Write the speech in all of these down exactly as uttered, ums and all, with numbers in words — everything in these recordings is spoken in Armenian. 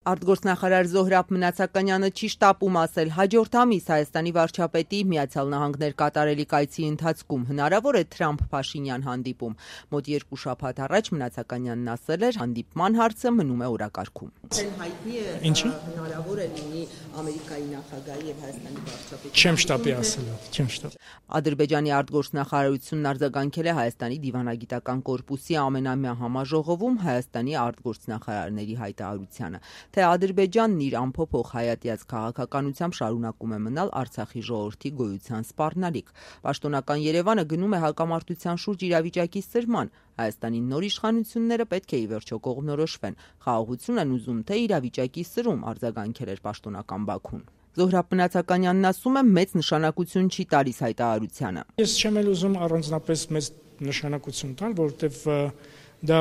Արտգործնախարար Զոհրաբ Մնացականյանը չի շտապում ասել հաջորդ ամիս Հայաստանի վարչապետի Միացյալ Նահանգներ կատարելիք այցի ընթացքում հնարավոր է Թրամփ-Փաշինյան հանդիպում։ Մոտ երկու շաբաթ առաջ Մնացականյանն ասել էր հանդիպման հարցը մնում է օրակարգում։ Հայտնի է հնարավոր է լինի Ամերիկայի նախագահի եւ Հայաստանի վարչապետի։ Չեմ շտապի ասել, չեմ շտապ։ Ադրբեջանի արտգործնախարարությունն արձագանքել է Հայաստանի դիվանագիտական կորպուսի ամենամյա համաժողովում Հայաստանի արտգործնախարարների հայտարարությանը, թե Ադրբեջանն իր ամփոփող հայատյաց քաղաքականությամբ շարունակում է մնալ Արցախի ժողովրդի գոյության սպառնալիք։ Պաշտոնական Երևանը գնում է հակամարտության շուրջ իրավիճակի սրման։ Հայաստանի նոր իշխանությունները պետք է ի վերջո կողմնորոշվեն։ Խաղաղություն են ուզում, թե իրավիճակի սրում, արձագանքել էր պաշտոնական Բաքուն։ Զոհրաբ Մնացականյանն ասում է մեծ նշանակություն չի տալիս հայտարարությանը։ Ես չեմ էլ ուզում առանձնապես մեծ նշանակություն տալ, որովհետև դա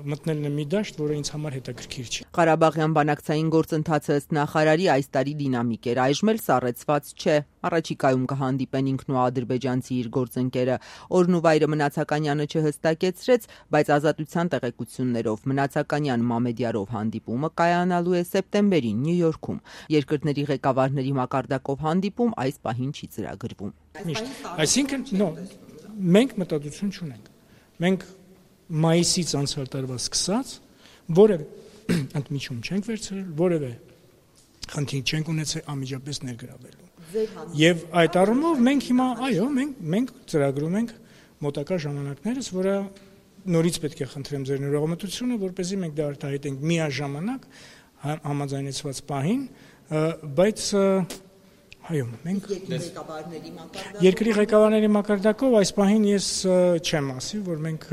մտնելն է մի դաշտ, որը ինձ համար հետաքրքիր չի։ Ղարաբաղյան բանակցային գործընթացը ըստ նախարարի այս տարի դինամիկ էր, այժմ էլ սառեցված չէ։ Առաջիկայում կհանդիպեն ինքն ու ադրբեջանցի իր գործընկերը։ Օրն ու վայրը Մնացականյանը չհստակեցրեց, բայց Ազատության տեղեկություններով Մնացականյան Մամեդյարով հանդիպումը կայանալու է սեպտեմբերին Նյու Յորքում։ Երկրների ղեկավարների մակարդակով հանդիպում այս պահին չի ծրագրվում։ Այսինքն, նո, մենք մտածություն չունենք։ Մենք մայիսից անցյալ տարվա սկսած որևէ ընդմիջում չենք վերցրել, որևէ խնդիր չենք ունեցել անմիջապես ներգրավելու։ Եվ այդ առումով մենք հիմա, այո, մենք մենք ծրագրում ենք մոտակա ժամանակներս, որը նորից պետք է խնդրեմ ձեր ներողամտությունը, որպեսզի մենք դա արտահայտենք միաժամանակ համաձայնեցված պահին, բայց այո, մենք երկրի ղեկավարների մակարդակով այս պահին ես չեմ ասի, որ մենք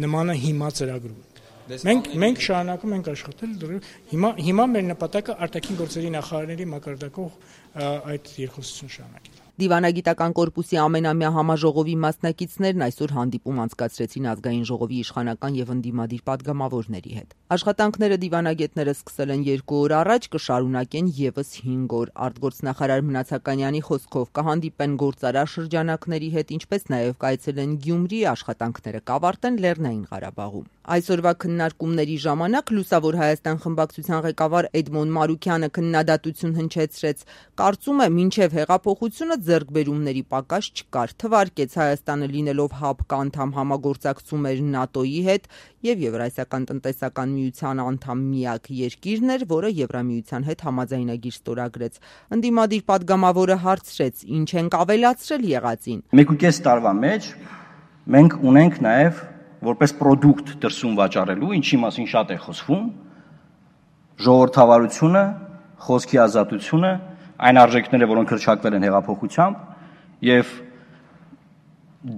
նմանը հիմա ծրագրում ենք։ Մենք մենք շարունակում ենք աշխատել, հիմա հիմա մեր նպատակը արտաքին գործերի նախարարների մակարդակով այդ երկխոսություն շարունակել։ Դիվանագիտական կորպուսի ամենամյա համաժողովի մասնակիցներն այսօր հանդիպում անցկացրեցին Ազգային ժողովի իշխանական եւ ընդդիմադիր պատգամավորների հետ։ Աշխատանքները դիվանագետները սկսել են երկու օր առաջ, կշարունակեն եւս հինգ օր։ Արտգործնախարար Մնացականյանի խոսքով կհանդիպեն գործարար շրջանակների հետ, ինչպես նաեւ կայցելեն Գյումրի, աշխատանքները կավարտեն Լեռնային Ղարաբաղում։ Այսօրվա քննարկումների ժամանակ Լուսավոր Հայաստան խմբակցության ղեկավար Էդմոն Մարուքյանը քննադատություն հնչեցրեց։ Կարծում է, մինչև հեղափոխությունը ձեռքբերումների պակաս չկար, թվարկեց Հայաստանը լինելով ՀԱՊԿ անդամ համագործակցում էր ՆԱՏՕ-ի հետ եւ Եվրասիական տնտեսական միության անդամ միակ երկիրն էր, որը Եվրամիության հետ համաձայնագիր ստորագրեց։ Ընդդիմադիր պատգամավորը հարցրեց, ինչ ենք ավելացրել եղածին։ Մեկուկես տարվա մեջ մենք ունենք նաեւ որպես պրոդուկտ դրսում վաճառելու, ինչի մասին շատ է խոսվում, ժողովրդավարությունը, խոսքի ազատությունը, այն արժեքները, որոնք հռչակվել են հեղափոխությամբ, եւ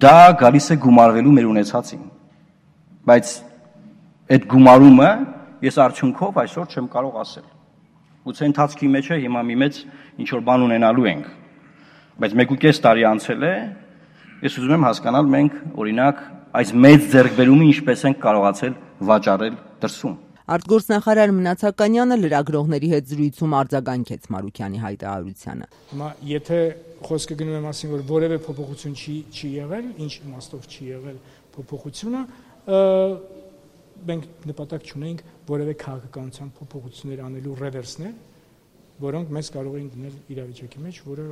դա գալիս է գումարվելու մեր ունեցածին։ Բայց այդ գումարումը ես արդյունքով այսօր չեմ կարող ասել։ Գուցե ընթացքի մեջ է հիմա մի մեծ ինչ որ բան ունենալու ենք, բայց մեկուկես տարի անցել է, ես ուզում եմ հասկանալ մենք օրինակ այս մեծ ձեռքբերումը ինչպես ենք կարողացել վաճառել դրսում։ Արտգործնախարար Մնացականյանը լրագրողների հետ զրույցում արձագանքեց Մարուքյանի հայտարարությանը։ Հիմա եթե խոսքը գնում է մասին, որ որևէ փոփոխություն չի չի եղել, ինչ իմաստով չի եղել փոփոխությունը, մենք նպատակ չունենք որևէ քաղաքականության փոփոխություններ անելու ռևերսներ, որոնք մեզ կարող են դնել իրավիճակի մեջ, որը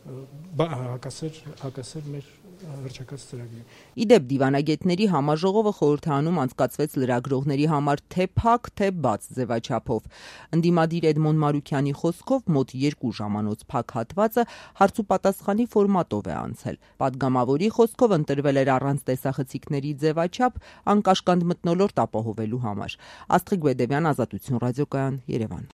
հակասեր հակասեր մեր հռչակած ծրագրին։ Իդեպ դիվանագետների համաժողովը խորհրդանում անցկացվեց լրագրողների համար թե փակ, թե բաց ձևաչափով։ Ընդդիմադիր Էդմոն Մարուքյանի խոսքով մոտ երկու ժամանոց փակ հատվածը հարց ու պատասխանի ֆորմատով է անցել։ Պատգամավորի խոսքով ընտրվել էր առանց տեսախցիկների ձևաչափ անկաշկանդ մթնոլորտ ապահովելու համար։ Աստղիկ Բեդևյան, Ազատություն ռադիոկայան, Երևան։